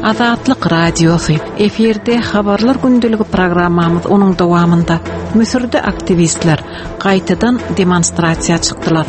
Azatlyk Radiosy, efirde Habarlar gündeligi programmamyz onuň dowamynda Müsürde aktiwistler gaýtadan demonstrasiýa çykdylar.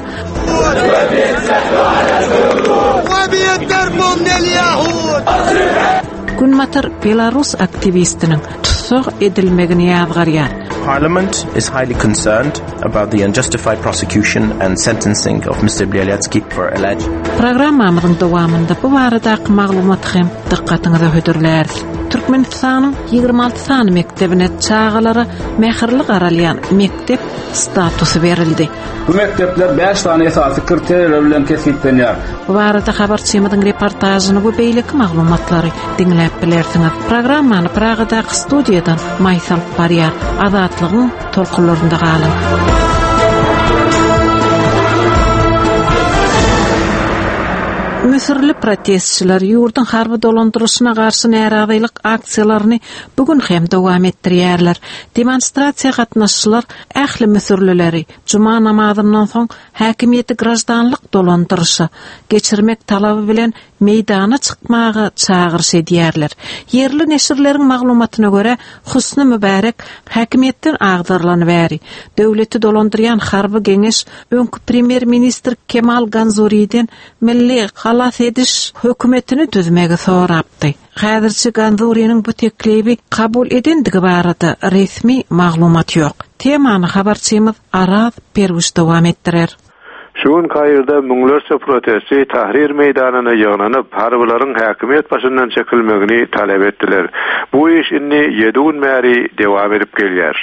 Günbatar belarus aktiwistiniň tussag edilmegini ýazgarýar. Parliament is highly concerned about the unjustified prosecution and sentencing of Mister Bialyatsky for alleged. Programmamyzyň dowamynda bu baradaky maglumaty hem dykgatyňyza hödürläris. Türkmenistanyň 26 sany mekdebine çagalara mähirli garalýan mekdep statusy berildi. Bu mekdepler bäş sany esasy kriteriýalar bilen kesgitlenýär. Bu barada habarçymyzyň reportažyny we beýleki maglumatlary diňläp bilersiňiz. Programmany Pragadaky studiýadan Maýsa alyp barýar. Azatlygyň tolkunlarynda galyň. Müsürli protestçiler ýurduň harby dolandyryşyna garşy närazylyk aksiýalaryny bu gün hem dowam etdirýärler. Demonstrasiýa gatnaşyjylar ähli müsürlileri juma namazyndan soň häkimiýeti graždanlyk dolandyryşa geçirmek talaby bilen meýdana çykmaga çagyryş edýärler. Ýerli neşirleriň maglumatyna görä, Husny Mübärek häkimiýetden agdarylany bäri, döwleti dolandyrýan harby geňeş öňki premýer-ministr Kemal Ganzuriden milli halas ediş hökümetini düzmegi sorapdy. Häzirçe Ganzuriniň bu teklibi kabul edendigi barada resmi maglumat ýok. Temany habarçymyz Araz Perwiş dowam etdirer. Şu gün Kairde müňlerçe protestçi Tahrir meýdanyna ýygnanyp, harbylaryň häkimiýet başyndan çekilmegini talap etdiler. Bu iş indi ýedi gün bäri dewam edip gelýär.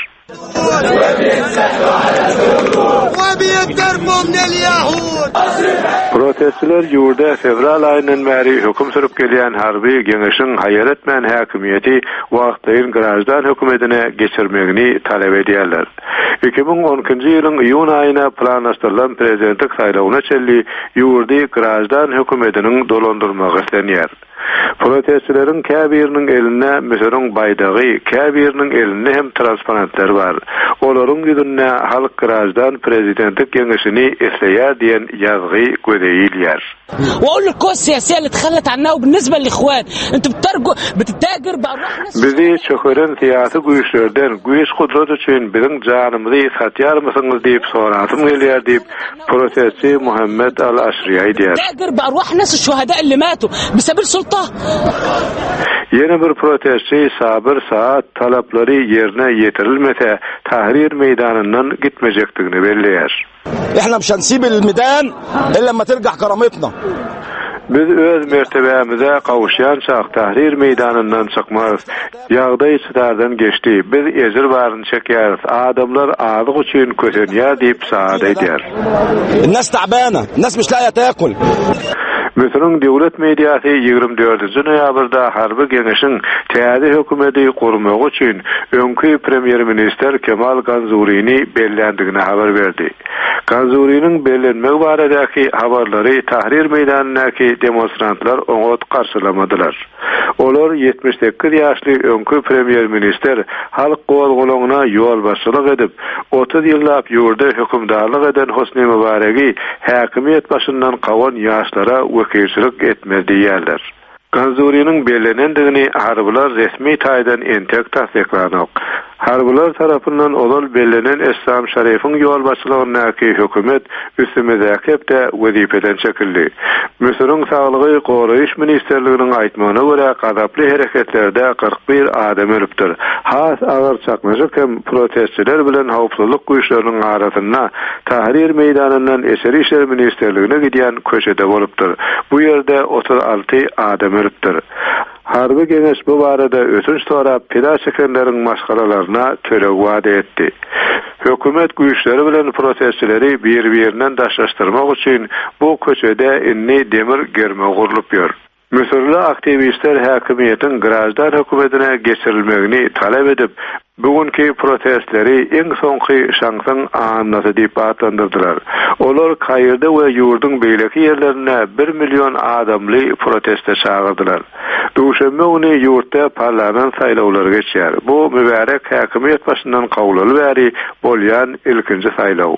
Protestçiler ýurda fewral aýyndan bäri höküm sürüp gelýän harby geňeşiň haýal etmän häkimiýeti wagtlaýyn graždan hökümetine geçirmegini talap edýärler. 2012-nji ýylyň iýun aýyna planlaşdyrylan prezidentlik saýlawyna çenli ýurdy graždan hökümetiniň dolandyrmagy islenýär. Protestçileriň käbiriniň elinde Müsüriň baýdagy, käbiriniň elinde hem transparentler bar. Olaryň ýüzünde Halk graždan prezidentlik geňeşini isleýär diýen ýazgy göze ilýär. Bizi çökeren syýasy güýçlerden güýç-gudrat üçin biziň janymyzy satýarmysyňyz diýip sorasym gelýär diýip, protestçi Muhammed al-Aşri aýdýar. Ýene bir protestçi Sabyr Saad talaplary ýerine ýetirilmese, Tahrir meýdanyndan gitmejekdigini belleýär. Biz öz mertebämize gowuşýançak Tahrir meýdanyndan çykmarys. Ýagdaý çydardan geçdi. Biz ejir baryny çekýäris. Adamlar azyk üçin kösenýär diýip, Saad aýdýar. Müsüriň döwlet mediasy 24-nji noýabrda harby geňeşiň täze hökümeti gurmagy üçin öňki premýer-ministr Kemal Ganzurini belländigini habar berdi. Ganzuriniň bellenmegi baradaky habarlary Tahrir meýdanyndaky demonstrantlar oňat garşylamadylar. Olar 78 ýaşly öňki premýer-ministr halk gozgalaňyna ýolbaşçylyk edip, 30 ýyllap ýurda hökümdarlyk eden Hosni Mübaregi häkimiýet başyndan kowan ýaşlara wekilçilik etmez diýýärler. Ganzuriniň bellenendigini harbylar resmi taýdan entek tassyklanok. Harbylar tarapyndan ozal bellenen Essam Şarifiň ýolbaşçylygyndaky hökümet üstümizdäki hepde wezipeden çekildi. Müsüriň Saglygy goraýyş ministrliginiň aýtmagyna görä, gazaply hereketlerde 41 adam ölüpdir. Has agyr çaknyşyk hem protestçiler bilen howpsuzlyk güýçleriniň arasynda Tahrir meýdanyndan Içeri işler ministrligine gidýän köçede bolupdyr. Bu ýerde 36 adam ölüpdir. Harby geňeş bu barada ötünç sorap, pida çekenleriň maşgalalaryna töleg wada etdi. Hökümet güýçleri bilen protestçileri bir-birinden daşlaşdyrmak üçin bu köçede indi demir germew gurlup ýör. Müsürli aktiwistler häkimiýetiň graždan hökümetine geçirilmegini talap edip, bu günki protestleri iň soňky şansyň annasy diýip atlandyrdylar. Olar Kairde we ýurduň beýleki ýerlerinde bir million adamly proteste çagyrdylar. Duşenbe güni ýurtda parlament saýlawlary geçýär. Bu Mübärek häkimiýet başyndan kowlaly bäri bolýan ilkinji saýlaw.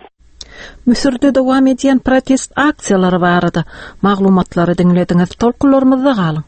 Müsürde dowam edýän protest aksiýalary barada maglumatlary diňlediňiz. Tolkunlarymyzda galyň.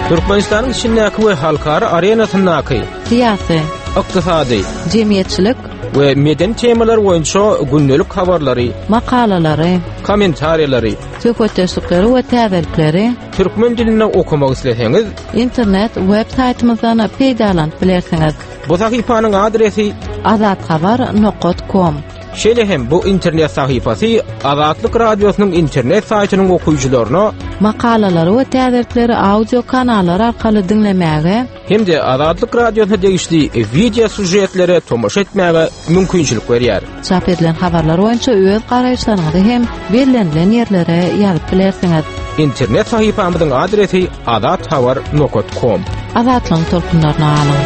Türkmenistanyň içindäki we halkara arenasyndaky syýasy, ykdysady, jemgyýetçilik we medeni temalar boýunça gündelik habarlary, makalalary, kommentariýalary, söhbetdeşlikleri we täzelikleri türkmen dilinde okamak isleseňiz, internet web saýtymyzdan peýdalanyp bilersiňiz. Bu sahypanyň adresi azathabar nokat kom. Şeýle hem bu internet sahypasy Azatlyk Radiosynyň internet saýtynyň okyjylaryna makalalary we täzelikleri audio kanallar arkaly diňlemäge hem-de Azatlyk Radiosyna degişli wideo sýužetlere tomaşa etmäge mümkinçilik berýär. Çap edilen habarlar boýunça öz garaýyşlaryňyzy hem bellenilen ýerlere ýazyp bilersiňiz. Internet sahypamyzyň adresi azathabar nokat kom. Azatlygyň tolkunlaryna galyň!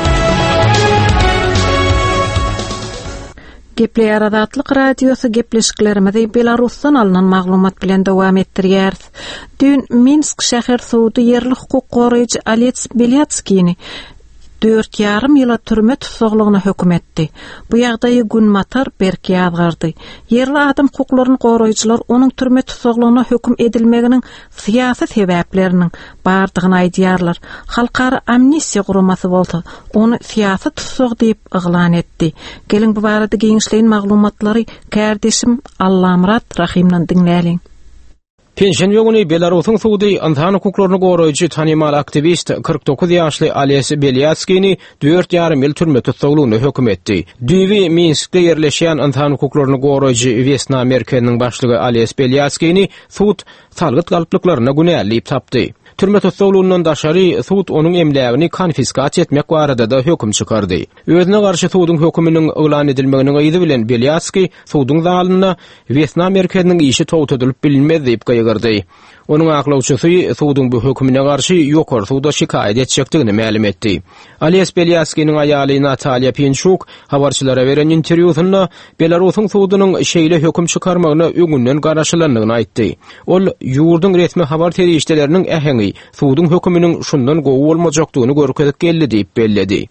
Gepleýär Azatlyk Radiosy gepleşiklerimizi Belarusdan alnan maglumat bilen dowam etdirýäris. Düýn Minsk şäher sudy ýerli hukuk goraýjy Aleks Belýatskini dört ýarym ýyla türme tussaglygyna höküm etdi. Bu ýagdaýy Günbatar berk ýazgardy. Ýerli adam hukuklaryny goraýjylar onuň türme tussaglygyna höküm edilmeginiň syýasy sebäpleriniň bardygyny aýdýarlar. Halkara Amnistiýa guramasy bolsa, ony syýasy tussag diýip yglan etdi. Geliň bu barada giňişleýin maglumatlary kärdeşim Allamyrat Rahymdan diňläliň. Penşenbe güni Belarusyň sudy ynsan hukuklaryny goraýjy tanymal aktiwist, 49 ýaşly Ales Belýatskini dört ýarym ýyl türme tussaglygyna höküm etdi. Düýbi Minskde ýerleşýän ynsan hukuklaryny goraýjy Wesna merkeziniň başlygy Ales Belýatskini sud salgyt galplyklarynda günäli diýip tapdy. Türme tussaglygyndan daşary, sud onuň emlägini konfiskasiýa etmek barada-da höküm çykardy. Özüne garşy suduň höküminiň yglan edilmeginiň yzy bilen Belýatskiý suduň zalynda Wesna merkeziniň işi togtadylyp bilinmez diýip gygyrdy. Onuň aklawçysy suduň bu hökümine garşy ýokary suda şikaýat etjekdigini mälim etdi. Ales Belýatskiniň aýaly Natalýa Pinçuk habarçylara beren interwýusynda Belarusyň sudunyň şeýle höküm çykarmagyna öňünden garaşylandygyny aýtdy. Ol ýurduň resmi habar serişdeleriniň äheňi suduň höküminiň şundan gowy bolmajakdygyny görkezip geldi diýip belledi.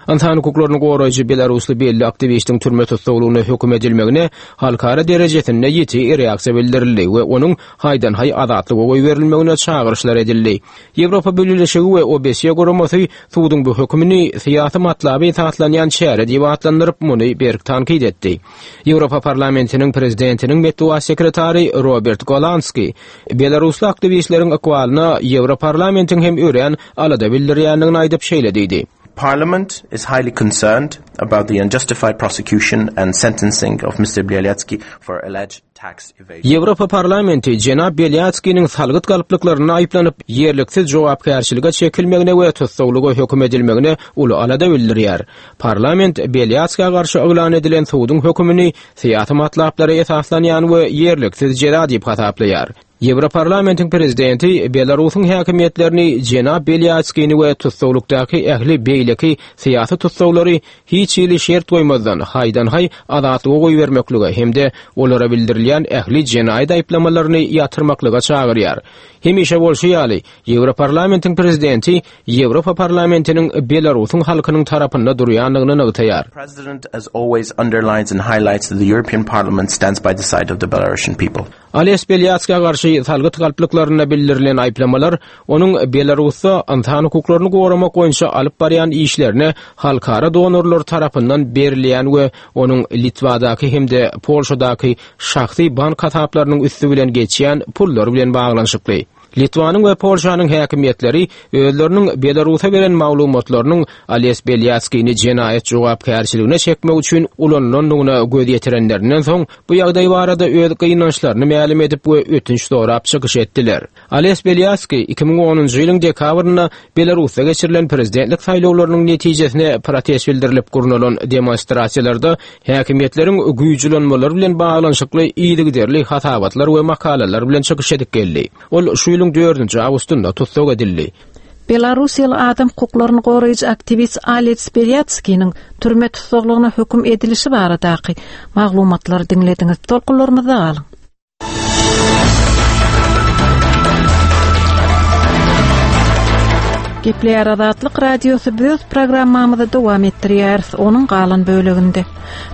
Ynsan hukuklaryny goraýjy belarusly belli aktiwistiň türme tussaglygyna höküm edilmegine halkara derejesinde ýiti reaksiýa bildirildi we onuň haýdan-haý azatlyga goýberilmegine çagyryşlar edildi. Ýewropa Bileleşigi we OBSE guramasy suduň bu hökümini syýasy matlaba esaslanýan çäre diýip atlandyryp, muny berk tankyt etdi. Ýewropa Parlamentiniň Prezidentiniň metbugat sekretary Robert Golanski belarusly aktiwistleriň ykbalyna Ýewroparlamentiň hem örän alada bildirýändigini aýdyp, şeýle diýdi. Parliament is highly concerned about the unjustified prosecution and sentencing of Mister Bialyatsky for alleged tax evasion. Ýewropa Parlamenti jenap Belýatskiniň salgyt galplyklarynda aýyplanyp, ýerliksiz jogapkärçilige çekilmegine we tussaglyga höküm edilmegine uly alada bildirýär. Parlament Belýatskä garşy yglan edilen suduň hökümini syýasy matlaplara esaslanýan we ýerliksiz jeza diýip hasaplaýar. Ýewroparlamentiň prezidenti Belarusyň häkimiýetlerini jenap Belýatskini we tussaglykdaky ähli beýleki syýasy tussaglary hiç hili şert goýmazdan haýdan-haý azatlyga goýbermeklige hem-de olara bildirilýän ähli jenaýat aýyplamalaryny ýatyrmaklyga çagyrýar. Hemişe bolşy ýaly, Ýewroparlamentiň prezidenti Ýewropa Parlamentiniň Belarusyň halkynyň tarapynda durýandygyny nygtaýar. President as always underlines and highlights that the European Parliament stands by the side of the Belarusian people. Ales Belýatska garşy salgyt galplyklarynda bildirilen aýyplamalar onuň Belarusda ynsan hukuklaryny goramak boýunça alyp barýan işlerine halkara donorlar tarapyndan berilýän we onuň Litwadaky hem-de Polşadaky şahsy bank hasaplarynyň üsti bilen geçýän pullar bilen baglanyşykly. Litwanyň we Polşanyň häkimiýetleri özleriniň Belarusa beren maglumatlarynyň Ales Belýatskini jenaýat jogapkärçiligine çekmek üçin ulanylandygyna göz ýetirenlerinden soň, bu ýagdaý barada öz gynançlaryny mälim edip we ötünç sorap çykyş etdiler. Ales Belýatskiý 2010-njy ýylyň dekabrynda Belarusda geçirilen prezidentlik saýlawlarynyň netijesine protest bildirilip gurnalan demonstrasiýalarda häkimiýetleriň güýç ulanmalary bilen baglanyşykly yzygiderli hasabatlar we makalalar bilen çykyş edip geldi. Ol şu ýylyň dördünji awgustynda tussag edildi. Belarussiýaly adam hukuklaryny goraýjy aktiwist Ales Belýatskiniň türme tussaglygyna höküm edilişi baradaky maglumatlary diňlediňiz. Tolkunlarymyzda galyň. Gepleýär Azatlyk Radiosy biz öz programmamyzy dowam etdirýäris, onuň galan böleginde.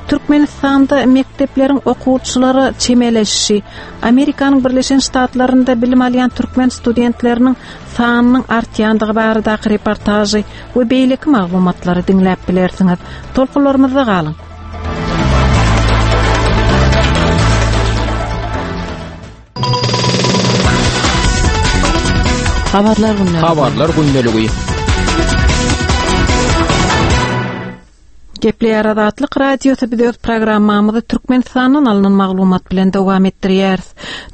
Türkmenistanda mekdepleriň okuwçylara çemeleşişi, Amerikanyň Birleşen Ştatlarynda bilim alýan türkmen studentleriniň sanynyň artýandygy baradaky reportažy we beýleki maglumatlary diňläp bilersiňiz. Tolkunlarymyzda galyň. Habarlar gündeligi. Habarlar gündeligi. Gepleýär Azatlyk Radiosy biz öz programmamyzy Türkmenistandan alnan maglumat bilen dowam etdirýäris.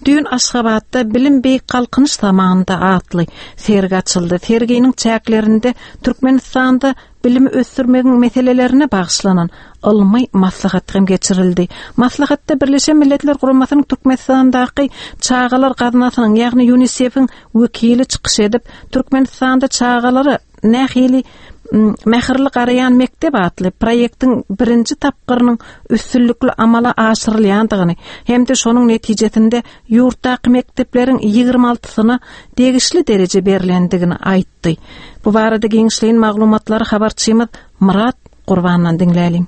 Düýn Aşgabatda Bilim beýik galkynyş zamanynda atly sergi açyldy. Serginiň çäklerinde Türkmenistanda bilimi ösdürmegiň meselelerine bagyşlanan ylmy maslahat hem geçirildi. Maslahatda Birleşen Milletler Guramasynyň Türkmenistandaky Çagalar gaznasynyň, ýagny UNISEF-iň wekili çykyş edip, Türkmenistanda çagalara nähili Mähirli garaýan mekdep atly proýektiň birinji tapgyrynyň üstünlikli amala aşyrylýandygyny hem-de şonuň netijesinde ýurtdaky mekdepleriň 26-syna degişli dereje berlendigini aýtdy. Bu barada giňişleýin maglumatlary habarçymyz Myrat Gurbandan diňläliň.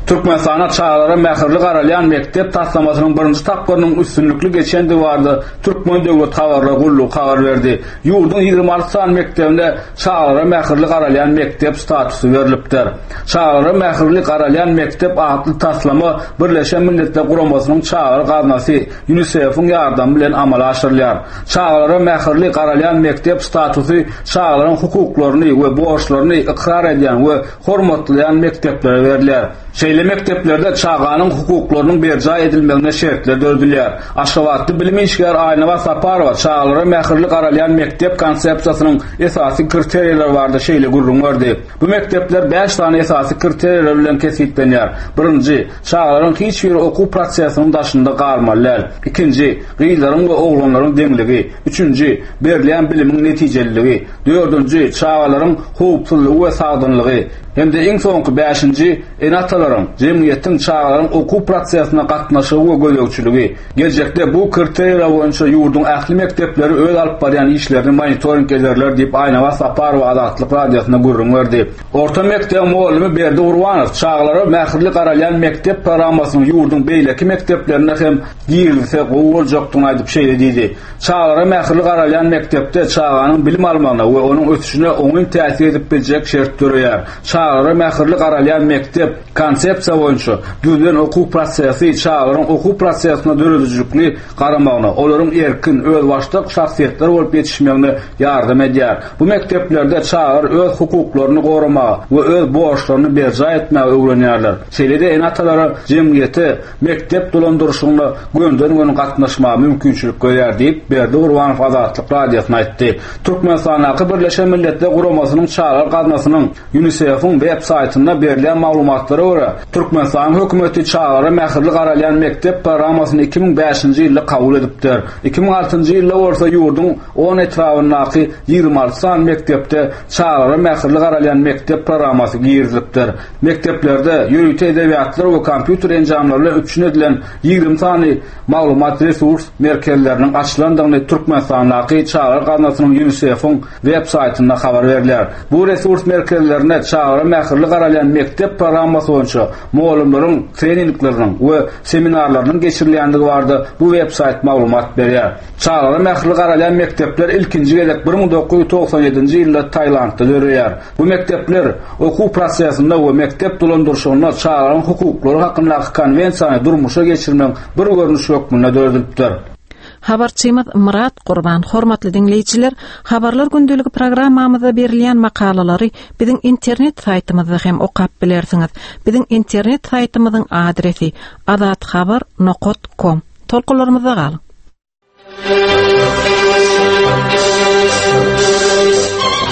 Türkmenistanda çagalara mähirli garalýan mekdep taslamasynyň birinji tapgyrynyň üstünlikli geçendigi barada Türkmen döwlet habarlar gullugy habar berdi. Ýurduň 26 sany mekdebine çagalara mähirli garalýan mekdep statusy berlipdir. Çagalara mähirli garalýan mekdep atly taslama Birleşen Milletler Guramasynyň Çagalar gaznasy, UNISEF-iň ýardamy bilen amala aşyrylýar. Çagalara mähirli garalýan mekdep statusy çagalaryň hukuklaryny we borçlaryny ykrar edýän we hormatlaýan mekdeplere berilýär. Şeýle mekdeplerde çaganyň hukuklarynyň berjaý edilmegine şertler döredilýär. Aşgabatda bilim işgäri Aýnabat Saparowa çagalara mähirli garalýan mekdep konsepsiýasynyň esasy kriteriýalary barada şeýle gürrüň berdi, Bu mekdepler bäş sany esasy kriteriýalar bilen kesgitlenýär. Birinji, çagalaryň hiç biri okuw prosesiniň daşynda galmaly däl. Ikinji, gyzlaryň we oglanlaryň deňligi. Üçünji, berilýän bilimiň netijeliligi. Dördünji, çagalaryň howpsuzlygy we sagdynlygy hem-de iň soňky bäşinji, ene-atalaryň, jemgyýetiň çagalaryň okuw prosesine gatnaşygy we gözegçiligi. Geljekde bu kriteriýalar boýunça ýurduň ähli mekdepleri öz alyp barýan işlerini monitoring ederler diýip, Aýnabat Saparowa Azatlyk Radiosyna gürrüň berdi. Orta mekdebiň mugallymy Berdi Gurbanow çagalara mähirli garalýan mekdep programmasynyň ýurduň beýleki mekdeplerinde hem girizilse gowy boljakdygyny aýdyp şeýle diýdi, Çagalara mähirli garalýan mekdepde çaganyň bilim almagyna we onuň ösüşine oňyn täsir edip biljek şert döreýär. Çagalara mähirli garalýan mekdep konsepsiýa boýunça düzülen okuw prosesi çagalaryň okuw prosesine döredijilikli garamagyna, olaryň erkin, özbaşdak şahsyýetler bolup ýetişmegine ýardam edýär. Bu mekdeplerde çagalar öz hukuklaryny goramaga we öz borçlaryny berjaý etmäge öwrenýärler. Şeýle-de ene-atalara jemgyýete mekdep dolandyryşygyna gönden-göni gatnaşmaga mümkinçilik berýär diýip, Berdi Gurbanow Azatlyk Radiosyna aýtdy. Türkmenistandaky Birleşen Milletler Guramasynyň Çagalar gaznasynyň, UNISEF-iň, web saýtynda berilýän maglumatlara görä, Türkmenistanyň hökümeti çagalara mähirli garalýan mekdep programmasyny 2005-nji ýylda kabul edipdir. 2006-njy ýylda bolsa ýurduň on etrabyndaky 26 sany mekdepde çagalara mähirli garalýan mekdep programmasy girizilipdir. Mekdeplerde ýörite edebiýatlar we kompýuter enjamlary bilen üpjün edilen 20 sany maglumat-resurs merkezleriniň açylandygyny Türkmenistandaky Çagalar gaznasynyň UNISEF-iň web saýtynda habar berilýär. Bu resurs merkezlerinde çagalara mähirli garalýan mekdep programmasy boýunça mugallymlaryň treningleriniň we seminarlarynyň geçirilýändigi barada bu web saýt maglumat berýär. Çagalara mähirli garalýan mekdepler ilkinji gezek 1997-nji ýylda Tailandda döreýär. Bu mekdepler okuw prosesinde we mekdep dolandyryşygynda çagalaryň hukuklary hakyndaky konwensiýany durmuşa geçirmegiň bir görnüşi hökmünde döredilipdir. Habarçymyz Myrat Gurban Hormatly diňleýjiler, Habarlar gündeligi programmamyzda berilýän makalalary biziň internet saýtymyzda hem okap bilersiňiz. Biziň internet saýtymyzyň adresi azathabar nokat kom. Tolkunlarymyzda galyň!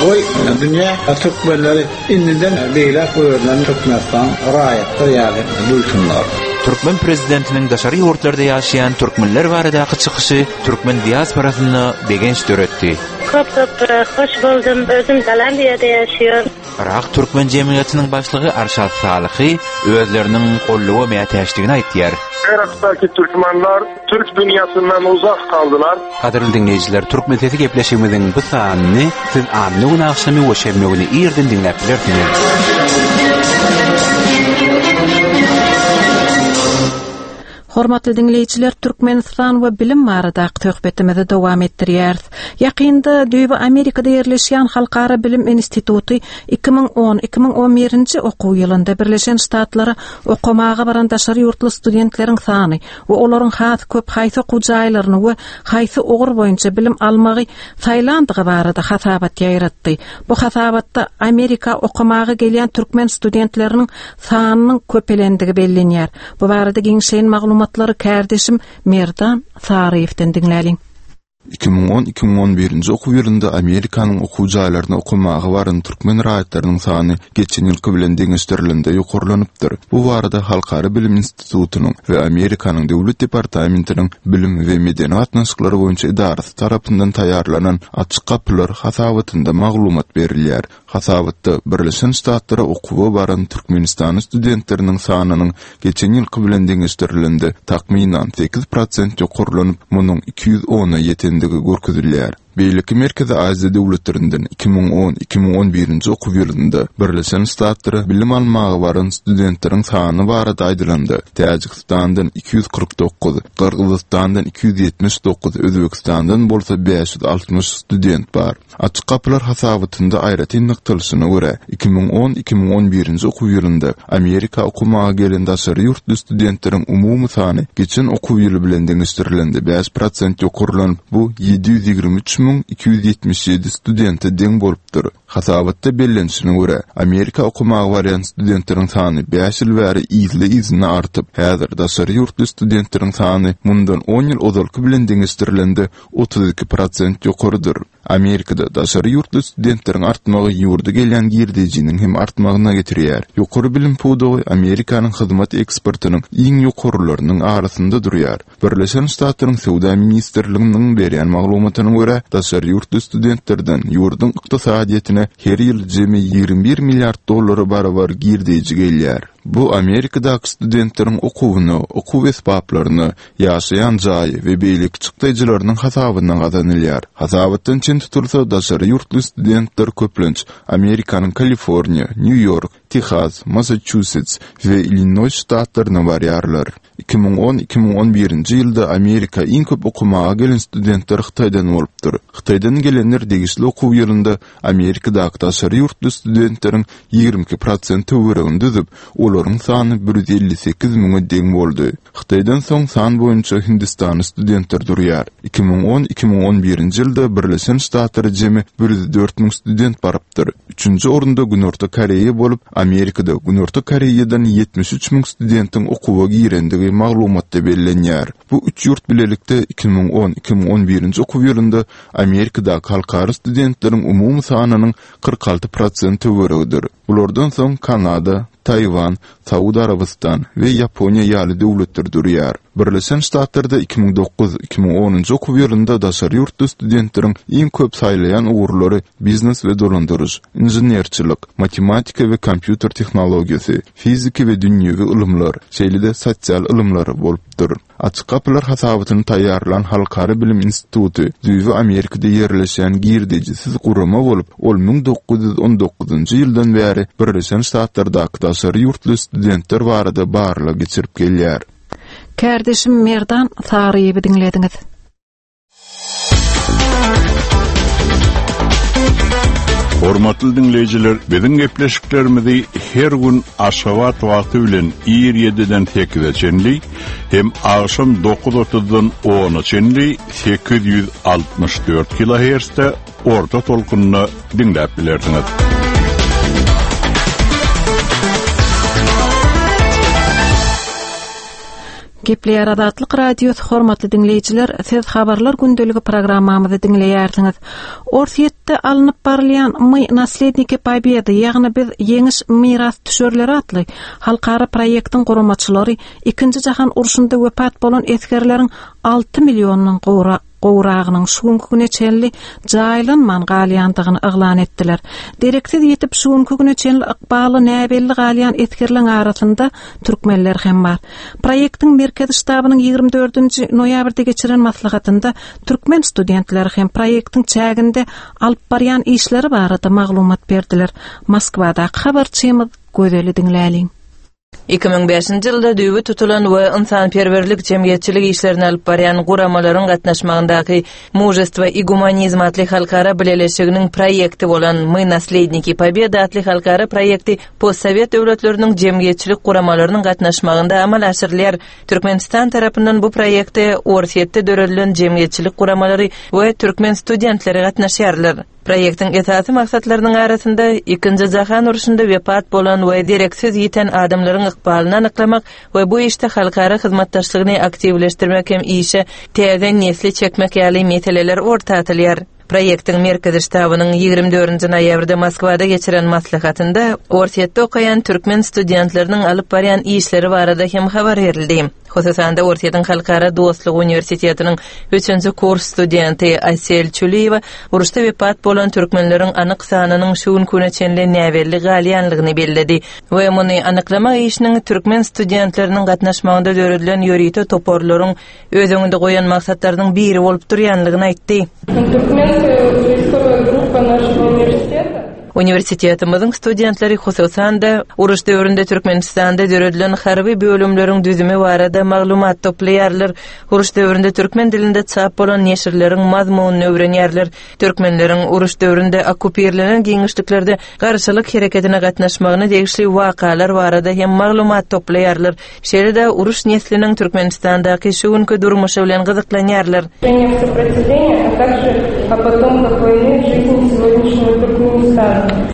Goý, dünýä türkmenleri indiden beýläk özlerini Türkmenistan raýatlar ýaly duýsunlar. Türkmen prezidentiniň daşary ýurtlarda ýaşaýan türkmenler baradaky çykyşy türkmen diasporasynda begenç döretdi. Köp köp hoş boldum. Özüm Gollandiýada ýaşaýan. Yrak türkmen jemgyýetiniň başlygy Arşad Salyhy özleriniň goldawa mätäçdigini aýtýar. Yrakdaky türkmenler türk dünýäsinden uzak galdylar. Gadyrly diňleýjiler, Türkmen sesi gepleşigimiziň bu sanyny siz anna güni agşamy we şenbe güni irden diňläp bilersiňiz. Hormatly diňleýjiler, Türkmenistan we bilim baradaky söhbetimizi dowam etdirýäris. Ýakynda düýbi Amerikada ýerleşýän Halkara bilim instituty 2010, 2011-nji okuw ýylynda Birleşen Ştatlara okamaga baran daşary ýurtly studentleriň sany we olaryň has köp haýsy okuw jaýlaryny we haýsy ugur boýunça bilim almagy saýlandygy barada hasabat ýaýratdy. Bu hasabatda Amerika okamaga gelýän türkmen studentleriniň sanynyň köpelendigi bellenýär. Bu barada giňişleýin maglumatlary kärdeşim Merdan Saryýewden diňläliň. 2010-2011-nji okuw ýylynda Amerikanyň okuw jaýlaryna okamaga baran türkmen raýatlarynyň sany geçen ýylky bilen deňeşdirilende ýokarlanypdyr. Bu barada Halkara bilim institutynyň we Amerikanyň Döwlet departamentiniň bilim we medeni gatnaşyklar boýunça edarasy tarapyndan taýýarlanan Açyk gapylar hasabatynda maglumat berilýär. Hasabatda Birleşen Ştatlara okuwa baran türkmenistanly studentleriniň sanynyň geçen ýylky bilen deňeşdirilende takmynan 8 prosent ýokarlanyp, munuň 210-a ýetendigi görkezilýär. Beýleki Merkezi Aziýa döwletlerinden 2010-2011-nji okuw ýylynda Birleşen Ştatlara bilim almaga baran studentleriň sany barada aýdylanda, Täjigistandan 249, Gyrgyzystandan 279, Özbegistandan bolsa 560 student bar. Açyk gapylar hasabatynda aýratyn nygtalyşyna görä, 2010, 2011-nji okuw ýylynda Amerika okamaga gelen daşary ýurtly studentleriň umumy sany geçen okuw ýyly bilen deňeşdirilende 5 prosent ýokarlanyp, bu 723 277 studente deň bolupdyr. Hasabatda bellenişine görä, Amerika okamaga barýan studentleriň sany 5 ýyl bäri yzly-yzyna artyp, häzir daşary ýurtly studentleriň sany mundan 10 ýyl ozalky bilen deňeşdirilende 32 prosent ýokarydyr. Amerikada daşary ýurtly studentleriň artmagy ýurda gelýän girdejiniň hem artmagyna getirýär. Ýokary bilim pudagy Amerikanyň hyzmat eksportynyň iň ýokarularynyň arasynda durýar. Birleşen Ştatlaryň Söwda ministrliginiň berýän maglumatyna görä, daşary ýurtly studentlerden ýurduň ykdysadyýetine her ýyl jemi 21 milliard dollara barabar girdeji gelýär. Bu Amerikadaky studentleriň okuwyna, okuw esbaplaryna, ýaşaýan jaýy we beýleki çykdaýjylarynyň hasabyna gazanylýar. Hasabatdan çen tutulsa, daşary ýurtly studentler köplenç Amerikanyň Kaliforniýa, Nýu-Ýork, Tehas, Massaçusets we Illinoýs ştatlaryna barýarlar. 2010-2011-nji ýylda Amerika iň köp okamaga gelen studentler Hytaýdan bolupdyr. Hytaýdan gelenler degişli okuw ýylynda Amerikadaky daşary ýurtly studentleriň 22 prosent töweregini düzüp, olaryň sany 158 müňe deň boldy. Hytaýdan soň san boýunça hindistanly studentler durýar. 2010-2011-nji ýylda Birleşen Ştatlara jemi 104 müň student barypdyr. Üçünji orunda Günorta Koreýa bolup, Amerikada Günorta Koreýadan 73 müň studentiň okuwa girendigi maglumatda bellenýär. Bu üç ýurt bilelikde 2010-2011-nji okuw ýylynda Amerikadaky halkara studentleriň umumy sanynyň 46 prosent töweregidir. Bulardan soň Kanada, Taýwan, Saud Arabystan we Ýaponiýa ýaly döwletler durýar. Birleşen Ştatlarda 2009-2010-njy okuw ýylynda daşary ýurtly studentleriň iň köp saýlaýan ugurlary biznes we dolandyryş, inženerçilik, matematika we kompýuter tehnologiýasy, fizika we dünýewi ylymlar, şeýle-de sosial ylymlar bolupdyr. Açyk gapylar hasabatyny taýýarlan Halkara bilim instituty düýbi Amerikada ýerleşýän girdejisiz gurama bolup, ol 1919-njy ýyldan bäri Birleşen Ştatlardaky daşary ýurtly studentler barada barlag geçirip gelýär. Kärdeşim Merdan Saryýewi diňlediňiz. Hormatly diňleýjiler, biziň gepleşiklerimizi her gün Aşgabat wagty bilen ir 7-den 8-e çenli hem agşam 9:30-dan 10-a çenli 864 kHz-de orta tolkunda diňläp bilersiňiz. Gepleýär Azatlyk Radiosy hormatly diňleýjiler, siz Habarlar gündeligi programmamyzy diňleýärsiňiz. Orsýetde alnyp barylýan My nasledniki pobedy, ýagny biz ýeňiş mirasdüşerleri atly halkara proýektiň guramaçylary Ikinji jahan urşunda wepat bolan esgerleriň 6 milliondan gowrak. gowragynyň şu günki güne çenli jaýlanman galýandygyny yglan etdiler. Dereksiz ýitip şu günki güne çenli ykbaly näbelli galýan esgerleň arasynda türkmenler hem bar. Proýektiň Merkezi ştabynyň 24-nji noýabrda geçiren maslahatynda türkmen studentleri hem proýektiň çäginde alyp barýan işleri barada maglumat berdiler. Moskwadaky habarçymyz Gözeli diňläliň. 2005-nji ýylda düýbi tutulan we ynsanperwerlik jemgyýetçilik işlerini alyp barýan guramalaryň gatnaşmagyndaky Mužestvo i gumanizm atly halkara bileleşiginiň proýekti bolan My nasledniki Pobedy atly halkara proýekti postsowet döwletleriniň jemgyýetçilik guramalarynyň gatnaşmagynda amala aşyrylýar. Türkmenistan tarapyndan bu proýekte Orsýetde döredilen jemgyýetçilik guramalary we türkmen studentleri gatnaşýarlar. Proýektiň esasy maksatlarynyň arasynda Ikinji jahan urşunda wepat bolan we dereksiz ýiten adamlaryň ykbalyny anyklamak we bu işde halkara hyzmatdaşlygyny aktiwleşdirmek hem işe täze nesli çekmek ýaly meseleler orta atylýar. Proýektiň Merkezi ştabynyň 24-nji noýabrda Moskwada geçiren maslahatynda Orsýetde okaýan türkmen studentleriniň alyp barýan işleri barada hem habar berildi. Hususan-da, Orsýetiň Halkara dostlugy uniwersitetiniň üçünji kurs studenti Asel Çüliýewa uruşda wepat bolan türkmenleriň anyk sanynyň şu günki güne çenli näbelli galýanlygyny belledi we muny anyklamak işiniň türkmen studentleriniň gatnaşmagynda döredilen ýörite toparlaryň öz öňünde goýan maksatlarynyň biri bolup durýanlygyny aýtdy. Uniwersitetimiziň studentleri, hususan-da, uruş döwründe Türkmenistanda döredilen harby bölümleriň düzümi barada maglumat toplaýarlar, uruş döwründe türkmen dilinde çap bolan neşirleriň mazmunyny öwrenýärler, türkmenleriň uruş döwründe okkupirlenen giňişliklerde garşylyk hereketine gatnaşmagyna degişli wakalar barada hem maglumat toplaýarlar. Şeýle-de uruş nesliniň Türkmenistandaky şu günki durmuşy bilen gyzyklanýarlar.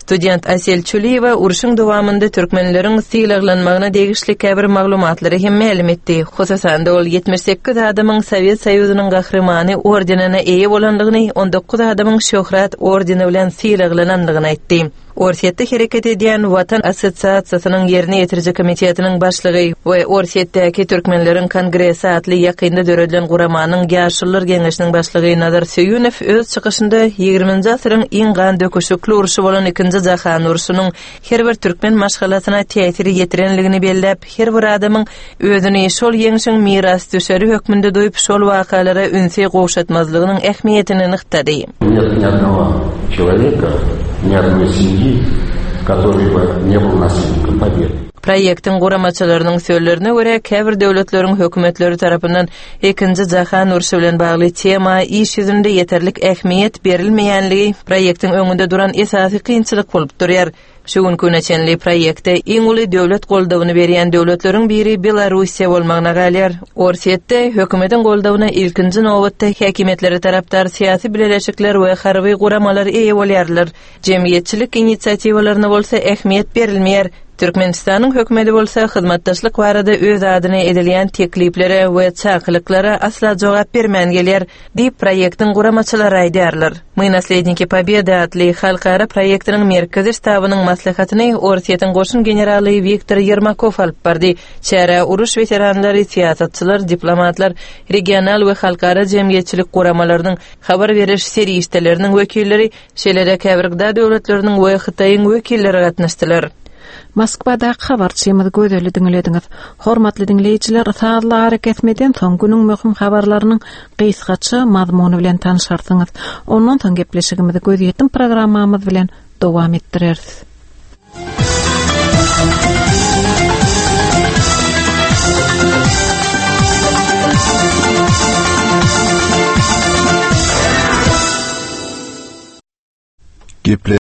Student Asel Çüliýewa urşuň dowamynda türkmenleriň sylaglanmagyna degişli käbir maglumatlary hem mälim etdi. Hususan-da, ol 78 adamyň Sowet Soýuzynyň Gahrymany ordenine eýe bolandygyny, 19 adamyň Şöhrat ordeni bilen sylaglanandygyny aýtdy. Orsýetde hereket edýän Watan assosiasiýasynyň ýerine ýetiriji komitetiniň başlygy we Orsýetdäki türkmenleriň kongresi atly ýakynda döredilen guramanyň Ýaşulular geňeşiniň başlygy Nazar Söýünow öz çykyşynda ýigriminji asyryň iň gan döküşikli urşy bolan Ikinji jahan urşunyň her bir türkmen maşgalasyna täsir ýetirenligini belläp, her bir adamyň özüni şol ýeňşiň mirasdüşeri hökmünde duýup, şol wakalara ünsi gowşatmazlygynyň ähmiýetini nygtady. Нет ни одного человека, ни одной семьи, который бы не был наследником Победы. Proýektiň guramaçylarynyň sözlerine görä, käbir döwletleriň hökümetleri tarapyndan Ikinji jahan urşy bilen bagly tema iş ýüzünde ýeterlik ähmiýet berilmeýänligi proýektiň öňünde duran esasy kynçylyk bolup durýar. Şu günki güne çenli proýekte iň uly döwlet goldawyny berýän döwletleriň biri Belarussiýa bolmagyna galýar. Orsýetde hökümetiň goldawyna ilkinji nobatda häkimiýetlere tarapdar syýasy bileleşikler we harby guramalar eýe bolýarlar. Jemgyýetçilik inisiatiwalaryna bolsa ähmiýet berilmeýär. Türkmenistanyň hökümeti bolsa hyzmatdaşlyk barada öz adyna edilýän tekliplere we çakylyklara asla jogap bermän gelýär. Diýip, proýektiň guramaçylary aýdýarlar. My nasledniki Pobedy atly halkara proýektiniň merkezi ştabynyň maslahatyny Orsýetiň goşun generaly Wiktor Ýermakow alyp bardy. Çärä uruş weteranlary, syýasatçylar, diplomatlar, regional we halkara jemgyýetçilik guramalarynyň, habar beriş serişdeleriniň wekilleri, Şeýle-de käbir gda döwletleriniň we Hytaýyň wekilleri gatnaşdylar. Moskwadaky habarçymyz Gözeli diňlediňiz. Hormatly diňleýjiler, sazly arakesmeden soň günüň möhüm habarlarynyň gysgaça mazmuny bilen tanşarsyňyz. Ondan soň gepleşigimizi Gözýetim programmamyz bilen dowam etdireris. Geple.